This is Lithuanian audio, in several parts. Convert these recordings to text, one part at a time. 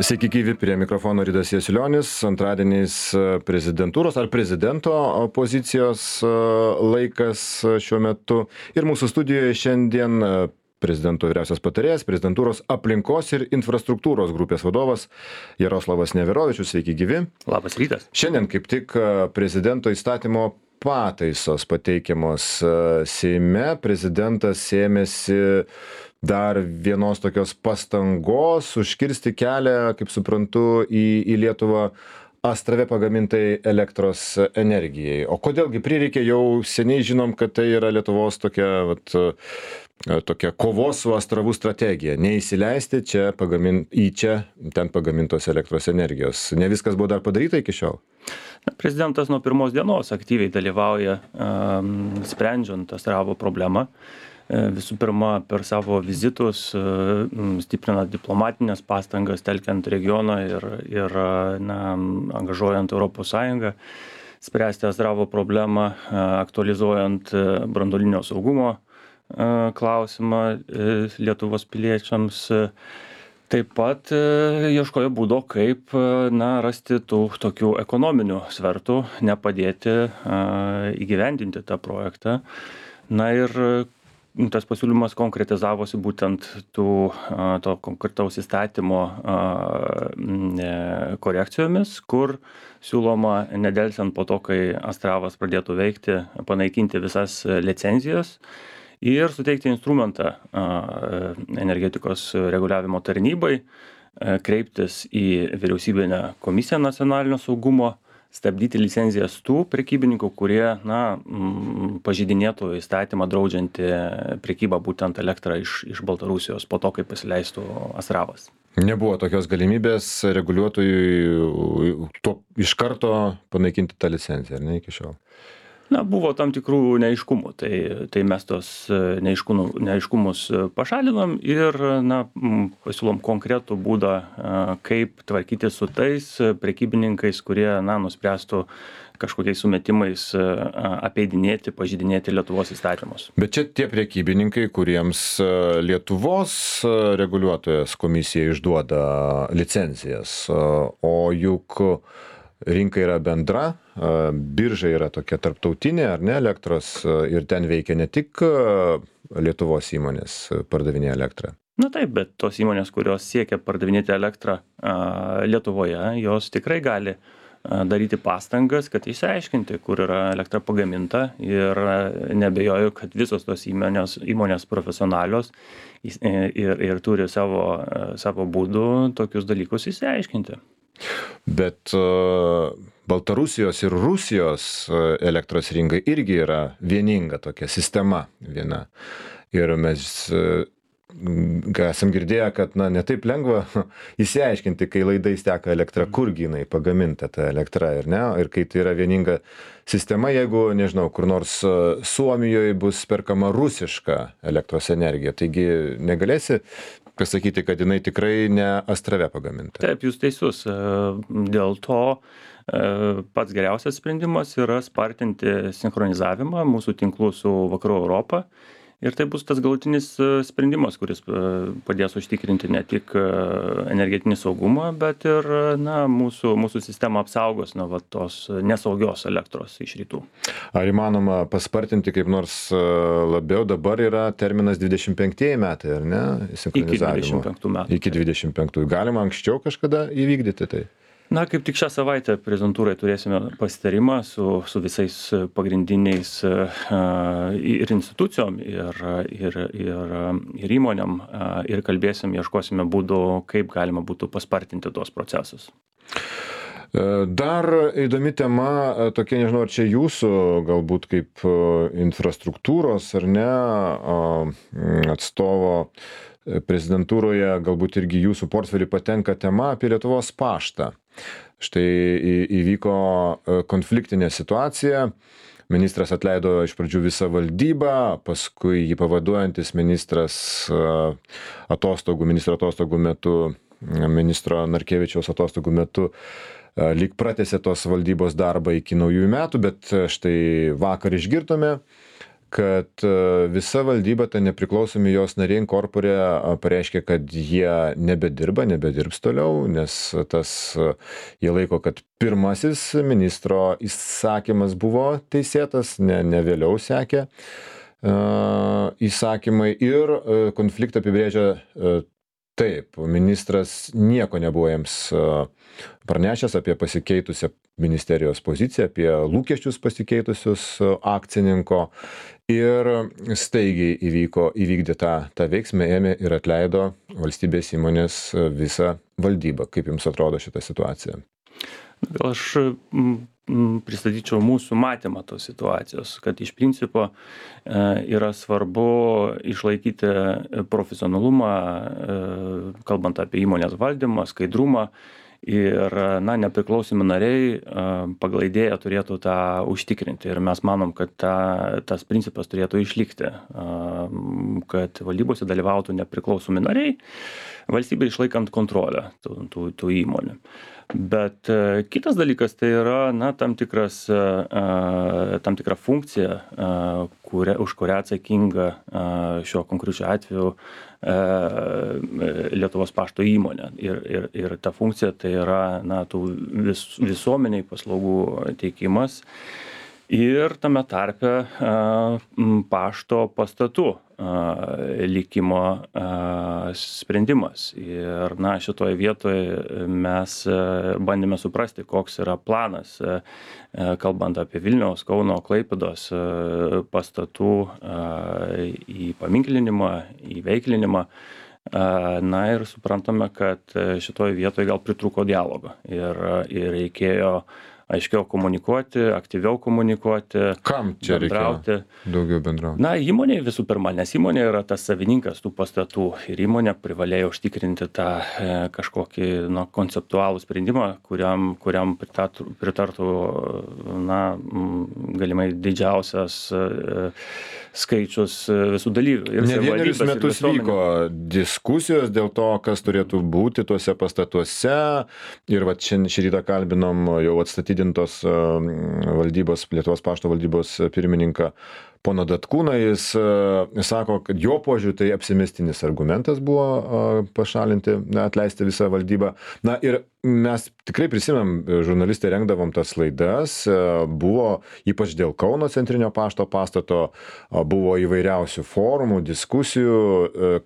Sveiki gyvi, prie mikrofono Ridas Jasilionis. Antradieniais prezidentūros ar prezidento pozicijos laikas šiuo metu. Ir mūsų studijoje šiandien prezidento vyriausias patarėjas, prezidentūros aplinkos ir infrastruktūros grupės vadovas Jaroslavas Neverovičius. Sveiki gyvi. Labas rytas. Šiandien kaip tik prezidento įstatymo pataisos pateikiamos Seime. Prezidentas ėmėsi dar vienos tokios pastangos užkirsti kelią, kaip suprantu, į Lietuvą Astrave pagamintai elektros energijai. O kodėlgi prireikė, jau seniai žinom, kad tai yra Lietuvos tokia kovos su Astravu strategija. Neįsileisti ten pagamintos elektros energijos. Ne viskas buvo dar padaryta iki šiol. Prezidentas nuo pirmos dienos aktyviai dalyvauja sprendžiant Astravo problemą. Visų pirma, per savo vizitus, stiprinant diplomatinės pastangas, telkiant regioną ir angažuojant Europos Sąjungą, spręsti Astravo problemą, aktualizuojant branduolinio saugumo klausimą Lietuvos piliečiams. Taip pat ieškojo būdo, kaip rasti tų tokių ekonominių svertų, nepadėti įgyvendinti tą projektą. Ir tas pasiūlymas konkretizavosi būtent to konkretaus įstatymo korekcijomis, kur siūloma nedelsiant po to, kai Astravas pradėtų veikti, panaikinti visas licenzijas ir suteikti instrumentą energetikos reguliavimo tarnybai, kreiptis į vyriausybinę komisiją nacionalinio saugumo, stabdyti licenzijas tų prekybininkų, kurie pažeidinėtų įstatymą draudžiantį prekybą būtent elektrą iš Baltarusijos po to, kai pasileistų Astravas. Nebuvo tokios galimybės reguliuotojui iš karto panaikinti tą licenciją, ar ne, iki šiol? Buvo tam tikrų neaiškumų, tai mes tos neaiškumus pašalinom ir pasiūlom konkretų būdą, kaip tvarkyti su tais prekybininkais, kurie nuspręstų kažkokiais sumetimais apeidinėti, pažeidinėti Lietuvos įstatymus. Bet čia tie prekybininkai, kuriems Lietuvos reguliuotojas komisija išduoda licencijas, o juk rinka yra bendra, birža yra tokia tarptautinė, ar ne, elektros, ir ten veikia ne tik Lietuvos įmonės pardavinėja elektrą. Taip, bet tos įmonės, kurios siekia pardavinėti elektrą Lietuvoje, jos tikrai gali daryti pastangas, kad išsiaiškinti, kur yra elektra pagaminta, ir nebejoju, kad visos tos įmonės profesionalios ir turi savo būdų tokius dalykus išsiaiškinti. Bet Baltarusijos ir Rusijos elektros rinka irgi yra vieninga tokia sistema viena. Ir mes esam girdėję, kad ne taip lengva įsiaiškinti, kai laidais teka elektra, kurgi jinai pagaminta ta elektra, ir ne? Ir kai tai yra vieninga sistema, jeigu, nežinau, kur nors Suomijoje bus perkama rusiška elektros energija, taigi negalėsi pasakyti, kad jinai tikrai ne Astrave pagaminta. Taip, jūs teisus. Dėl to pats geriausias sprendimas yra spartinti sinchronizavimą mūsų tinklų su Vakarų Europą. Ir tai bus tas galutinis sprendimas, kuris padės užtikrinti ne tik energetinį saugumą, bet ir mūsų sistemą apsaugos nuo tos nesaugios elektros iš rytų. Ar įmanoma paspartinti kaip nors labiau? Dabar yra terminas 25 metai, ar ne? Iki 25 metų. Iki 25. Galima anksčiau kažkada įvykdyti tai? Kaip tik šią savaitę prezidentūrai turėsime pasitarimą su visais pagrindiniais ir institucijom, ir įmonėm, ir ieškosime būdų, kaip galima būtų paspartinti tuos procesus. Dar įdomi tema, tokia, nežinau, ar čia jūsų, galbūt kaip infrastruktūros ar ne atstovo prezidentūroje, galbūt irgi jūsų portfelį patenka tema apie Lietuvos paštą. Štai įvyko konfliktinė situacija, ministras atleido iš pradžių visą valdybą, paskui jį pavaduojantis ministras ministro atostogų metu, ministro Narkevičiaus atostogų metu lyg pratęsė tos valdybos darbą iki naujųjų metų, bet štai vakar išgirdome, kad visa valdyba, ta nepriklausomi jos nariai korporė pareiškė, kad jie nebedirbs toliau, nes jie laiko, kad pirmasis ministro įsakymas buvo teisėtas, ne vėliau sekė įsakymai ir konfliktą apibrėžia taip, ministras nieko nebuvo jiems pranešęs apie pasikeitusią ministerijos poziciją, apie lūkesčius pasikeitusius akcininko ir staigiai įvykdė tą veiksmą, ėmė ir atleido valstybės įmonės visą valdybą. Kaip jums atrodo šita situacija? Gal aš pristatyčiau mūsų matymą tos situacijos, kad iš principo yra svarbu išlaikyti profesionalumą, kalbant apie įmonės valdymą, skaidrumą ir nepriklausomi nariai pagal idėją turėtų tą užtikrinti. Ir mes manom, kad tas principas turėtų išlikti, kad valdybose dalyvautų nepriklausomi nariai, valstybė išlaikant kontrolę tų įmonių. Bet kitas dalykas tai yra tam tikra funkcija, už kurią atsakinga šiuo konkrečiu atveju Lietuvos pašto įmonė. Ir ta funkcija tai yra tų visuomeniai paslaugų teikimas ir tame tarpe pašto pastatų likimo sprendimas. Ir šitoje vietoje mes bandėme suprasti, koks yra planas, kalbant apie Vilniaus, Kauno, Klaipėdos pastatų įpaminklinimą, įveiklinimą. Ir suprantame, kad šitoje vietoje gal pritrūko dialogo ir reikėjo aiškiau komunikuoti, aktyviau komunikuoti. Kam čia reikia daugiau bendrauti? Įmonė visų pirma, nes įmonė yra tas savininkas tų pastatų ir įmonė privalėjo užtikrinti tą kažkokį konceptualų sprendimą, kuriam pritartų galimai didžiausias skaičius visų dalyvių. Ne vienerius metus vyko diskusijos dėl to, kas turėtų būti tuose pastatuose ir šį rytą kalbinom jau atstatydintos Lietuvos pašto valdybos pirmininką pono Datkūną. Jis sako, kad jo požiūriu tai apsimestinis argumentas buvo atleisti visą valdybą. Ir mes tikrai prisimenam, žurnalistai rengdavom tas laidas, buvo ypač dėl Kauno centrinio pašto pastato, buvo įvairiausių forumų, diskusijų,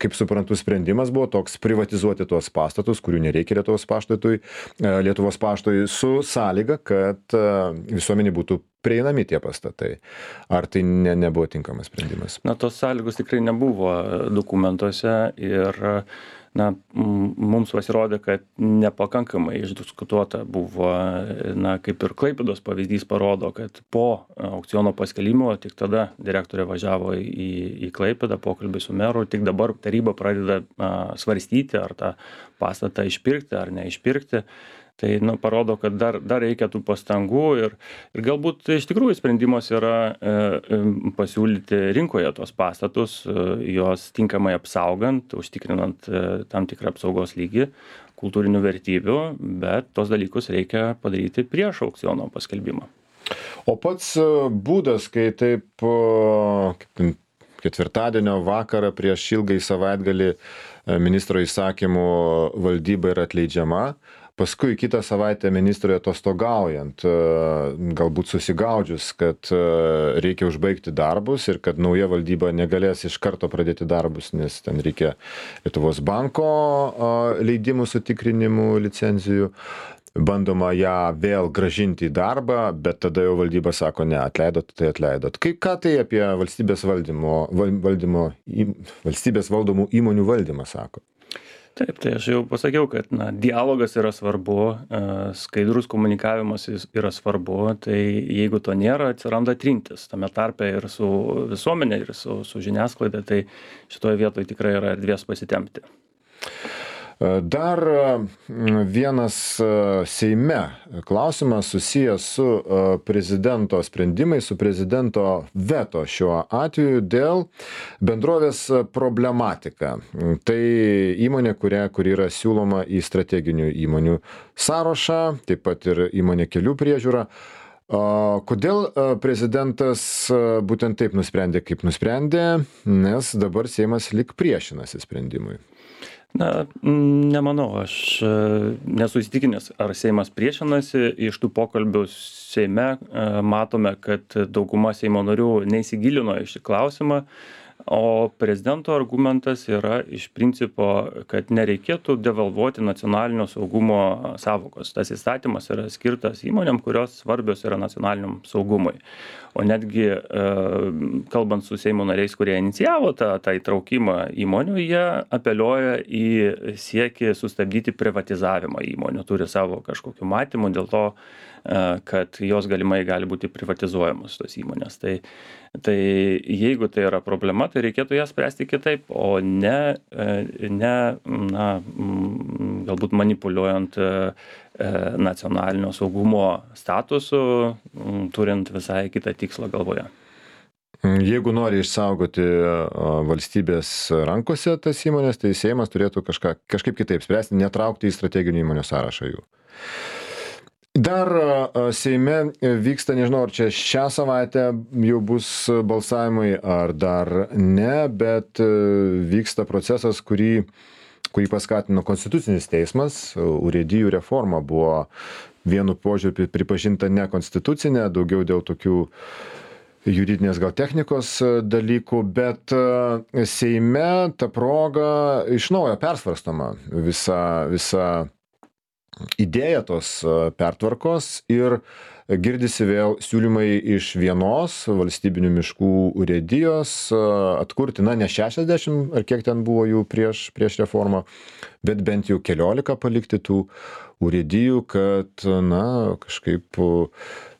kaip suprantu, sprendimas buvo toks privatizuoti tuos pastatus, kurių nereikia Lietuvos paštui su sąlyga, kad visuomenė būtų prieinami tie pastatai. Ar tai nebuvo tinkamas sprendimas? Tos sąlygos tikrai nebuvo dokumentuose ir mums pasirodė, kad nepakankamai išdiskutuota buvo, kaip ir Klaipėdos pavyzdys parodo, kad po aukciono paskelbimo tik tada direktorė važiavo į Klaipėdą, pokalbį su meru, tik dabar taryba pradeda svarstyti, ar tą pastatą išpirkti ar neišpirkti. Tai parodo, kad dar reikia tų pastangų ir galbūt iš tikrųjų sprendimas yra pasiūlyti rinkoje tos pastatus, juos tinkamai apsaugant, užtikrinant tam tikrą apsaugos lygį, kultūrinių vertybių, bet tos dalykus reikia padaryti prieš aukciono paskelbimą. O pats būdas, kai taip ketvirtadienio vakarą prieš ilgai savaitgalį ministro įsakymu valdyba yra atleidžiama, paskui kitą savaitę ministrui atostogaujant, galbūt susigaudžius, kad reikia užbaigti darbus ir kad nauja valdyba negalės iš karto pradėti darbus, nes ten reikia Lietuvos banko leidimų sutikrinimų, licenzijų. Bandoma ją vėl grąžinti į darbą, bet tada jau valdyba sako, ne, atleidot, tai atleidot. Ką tai apie valstybės valdomų įmonių valdymą sako? Taip, tai aš jau pasakiau, kad dialogas yra svarbu, skaidrus komunikavimas yra svarbu, tai jeigu to nėra, atsiranda trintis tame tarpe ir su visuomenė, ir su žiniasklaida, tai šitoje vietoje tikrai yra erdvės pasitempti. Dar vienas Seime klausimas susijęs su prezidento sprendimais, su prezidento veto šiuo atveju dėl bendrovės problematika. Tai įmonė, kuri yra siūloma į strateginių įmonių sąrašą, taip pat ir įmonė kelių priežiūra. Kodėl prezidentas būtent taip nusprendė, kaip nusprendė, nes dabar Seimas lyg priešinasi sprendimui? Na, nemanau, aš nesu įsitikinęs, ar Seimas priešinasi. Iš tų pokalbių Seime matome, kad dauguma Seimo narių neįsigilino į šį klausimą, o prezidento argumentas yra iš principo, kad nereikėtų devalvuoti nacionalinio saugumo sąvokos. Tas įstatymas yra skirtas įmonėm, kurios svarbios yra nacionaliniam saugumui. O netgi kalbant su Seimo nariais, kurie inicijavo tą įtraukimą įmonių, jie apeliuoja į siekį sustabdyti privatizavimą įmonių, turi savo kažkokiu matymu dėl to, kad jos galimai gali būti privatizuojamos tos įmonės. Tai jeigu tai yra problema, tai reikėtų ją spręsti kitaip, o ne galbūt manipuliuojant nacionalinio saugumo statusu, turint visai kitą tikslą galvoje. Jeigu nori išsaugoti valstybės rankose tas įmonės, tai Seimas turėtų kažkaip kitaip spręsti, netraukti į strateginių įmonių sąrašą jų. Dar Seime vyksta, nežinau, ar čia šią savaitę jau bus balsavimai, ar dar ne, bet vyksta procesas, kurį paskatino Konstitucinis teismas. Urėdijų reforma buvo vienu požiūriu pripažinta nekonstitucinė, daugiau dėl tokių juridinės gal technikos dalykų, bet Seime ta proga iš naujo persvarstoma visa idėja tos pertvarkos ir girdisi vėl siūlymai iš vienos valstybinių miškų urėdijos atkurti, ne 60, ar kiek ten buvo jų prieš reformą, bet bent jau 14 palikti tų urėdijų, kad, kažkaip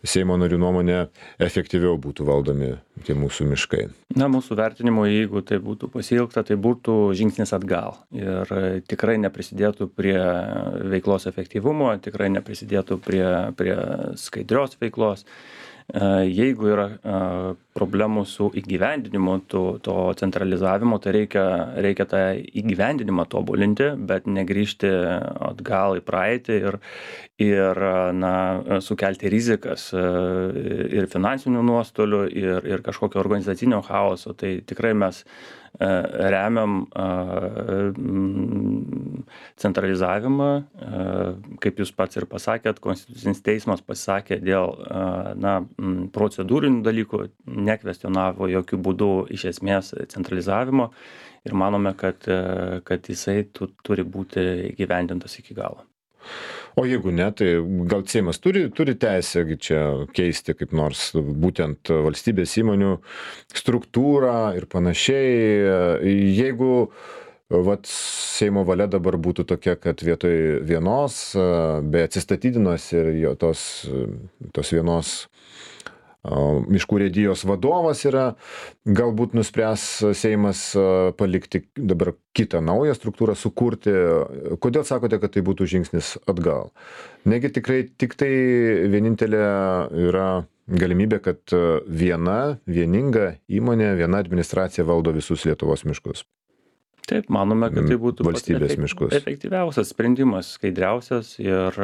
Seimo narių nuomonė efektyviau būtų valdomi tie mūsų miškai. Mūsų vertinimu, jeigu tai būtų pasiilgta, tai būtų žingsnis atgal ir tikrai neprisidėtų prie veiklos efektyvumo, tikrai neprisidėtų prie skaidrios veiklos. Jeigu yra problemų su įgyvendinimu to centralizavimo, tai reikia tą įgyvendinimą tobulinti, bet negrįžti atgal į praeitį ir sukelti rizikas ir finansinių nuostolių ir kažkokio organizacinio chaoso. Tai tikrai mes remiam centralizavimą, kaip jūs pats ir pasakėt, Konstitucinis teismas pasisakė dėl procedūrinių dalykų, nekvestionavo jokių būdų iš esmės centralizavimo ir manome, kad jisai turi būti įgyvendintas iki galo. O jeigu ne, tai gal Seimas turi teisę čia keisti kaip nors būtent valstybės įmonių struktūrą ir panašiai. Jeigu Seimo valia dabar būtų tokia, kad vietoj vienos, be atsistatydinos ir tos vienos miškų urėdijos vadovas yra, galbūt nuspręs Seimas palikti dabar kitą naują struktūrą, sukurti. Kodėl sakote, kad tai būtų žingsnis atgal? Negi tikrai tik tai vienintelė yra galimybė, kad vieninga įmonė, viena administracija valdo visus Lietuvos miškus? Taip, manome, kad tai būtų valstybės miškus efektyviausias sprendimas, skaidriausias ir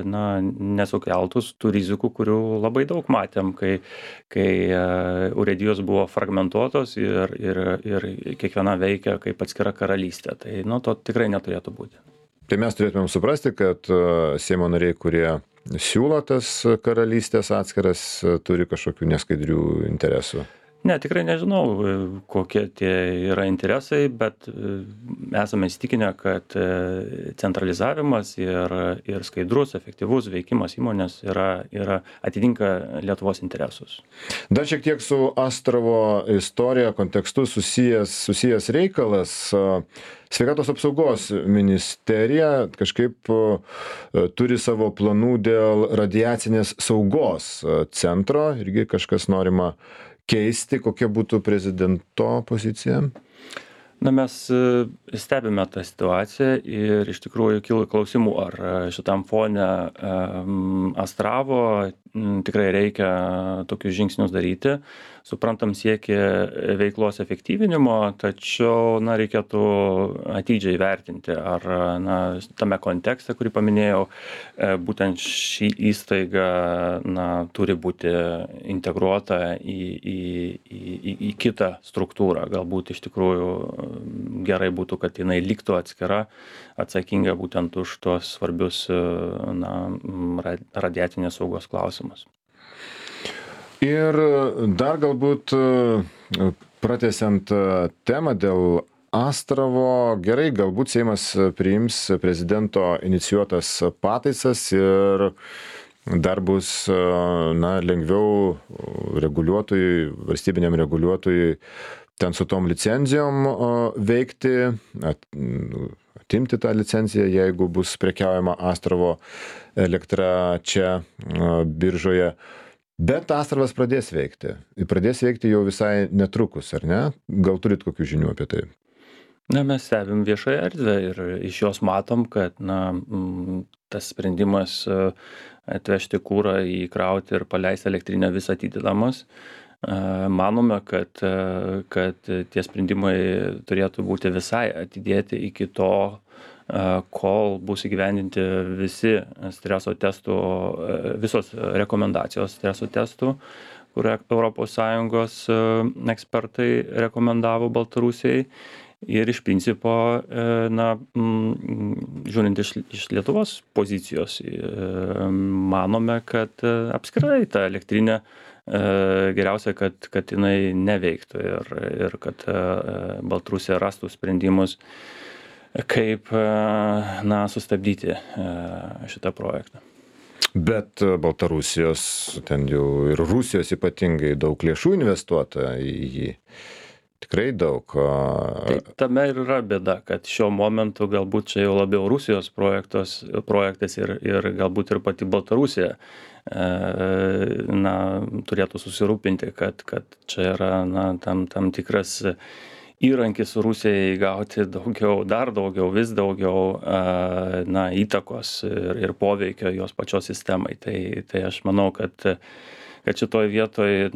nesukeltus tų rizikų, kurių labai daug matėm, kai urėdijos buvo fragmentuotos ir kiekviena veikia kaip atskira karalystė. Tai to tikrai neturėtų būti. Tai mes turėtumėm suprasti, kad Seimo nariai, kurie siūlo tas karalystės atskiras, turi kažkokių neskaidrių interesų. Ne, tikrai nežinau, kokie tie yra interesai, bet esame įsitikinę, kad centralizavimas ir skaidrus, efektyvus veikimas įmonės atitinka Lietuvos interesus. Dar šiek tiek su Astravo istorija, kontekstu susijęs reikalas. Sveikatos apsaugos ministerija kažkaip turi savo planų dėl radiacinės saugos centro, irgi kažkas norima keisti. Kokia būtų prezidento pozicija? Mes stebime tą situaciją ir iš tikrųjų kyla klausimų, ar šitam fone Astravo tikrai reikia tokius žingsnius daryti. Suprantam siekį veiklos efektyvinimo, tačiau reikėtų atidžiai vertinti, ar tame kontekste, kurį paminėjau, būtent ši įstaiga turi būti integruota į kitą struktūrą. Galbūt iš tikrųjų gerai būtų, kad jinai liktų atskira, atsakinga būtent už tuos svarbius radiacinės saugos klausimus. Ir dar galbūt pratęsiant temą dėl Astravo, gerai, galbūt Seimas priims prezidento inicijuotas pataisas ir dar bus lengviau reguliuotojui, valstybiniam reguliuotojui ten su tom licenzijom veikti, atimti tą licenciją, jeigu bus prekiaujama Astravo elektra čia biržoje. Bet Astravas pradės veikti. Pradės veikti jau visai netrukus, ar ne? Gal turit kokių žinių apie tai? Mes stebim viešąją erdvę ir iš jos matom, kad tas sprendimas atvežti kurą, įkrauti ir paleisti elektrinę vis atidedamas. Manome, kad tie sprendimai turėtų būti visai atidėti iki to, kol bus įgyvendinti visos rekomendacijos streso testų, kur ES ekspertai rekomendavo Baltarusijai. Ir iš principo, žiūrint iš Lietuvos pozicijos, manome, kad apskritai ta elektrinė geriausia, kad jinai neveiktų ir kad Baltarusija rastų sprendimus, kaip sustabdyti šitą projektą. Bet Baltarusijos, ten jau ir Rusijos ypatingai daug lėšų investuota į jį. Tikrai daug. Tai tame ir yra bėda, kad šiuo momentu galbūt čia jau labiau Rusijos projektas ir galbūt ir pati Baltarusija turėtų susirūpinti, kad čia yra tam tikras įrankis Rusijai gauti vis daugiau įtakos ir poveikio jos pačios sistemai. Tai aš manau, kad šitoj vietoj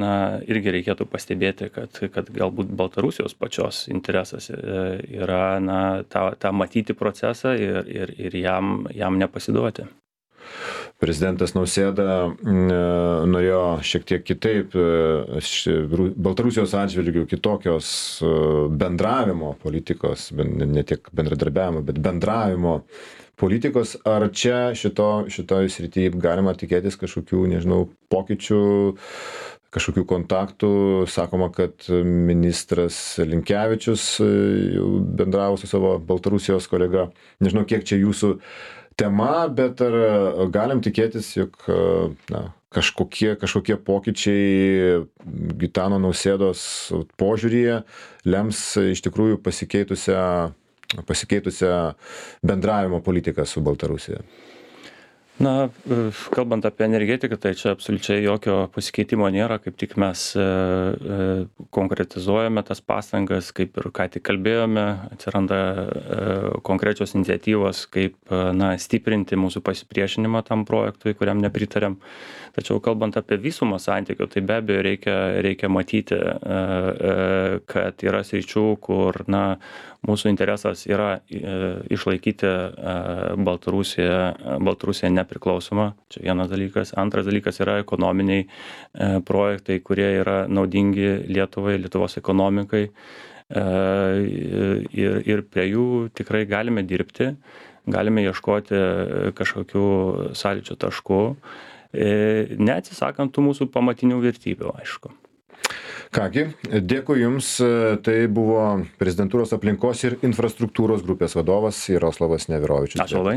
irgi reikėtų pastebėti, kad galbūt Baltarusijos pačios interesas yra tą matyti procesą ir jam nepasiduoti. Prezidentas Nausėda norėjo šiek tiek kitaip Baltarusijos atžvilgių kitokios bendravimo politikos, ne tiek bendradarbiavimo, bet bendravimo politikos. Ar čia šitoj srityje galima tikėtis kažkokių, nežinau, pokyčių, kažkokių kontaktų? Sakoma, kad ministras Linkevičius jau bendravo su savo Baltarusijos kolega. Nežinau, kiek čia jūsų tema, bet ar galim tikėtis, jog kažkokie pokyčiai Gitano Nausėdos požiūryje lems iš tikrųjų pasikeitusią bendravimo politiką su Baltarusija? Kalbant apie energetiką, tai čia absoliučiai jokio pasikeitimo nėra, kaip tik mes konkretizuojame tas pastangas, kaip ir ką tik kalbėjome, atsiranda konkrečios iniciatyvos, kaip stiprinti mūsų pasipriešinimą tam projektui, kuriam nepritarėm. Tačiau kalbant apie visumą santykių, tai be abejo reikia matyti, kad yra sričių, kur mūsų interesas yra išlaikyti Baltarusiją nepriklausomą. Čia vienas dalykas. Antras dalykas yra ekonominiai projektai, kurie yra naudingi Lietuvai, Lietuvos ekonomikai. Ir prie jų tikrai galime dirbti, galime ieškoti kažkokių sąlyčio taškų, neatsisakant tų mūsų pamatinių vertybių, aišku. Kągi, dėkui Jums. Tai buvo Prezidentūros aplinkos ir infrastruktūros grupės vadovas Jaroslavas Neverovičius. Ačiū labai.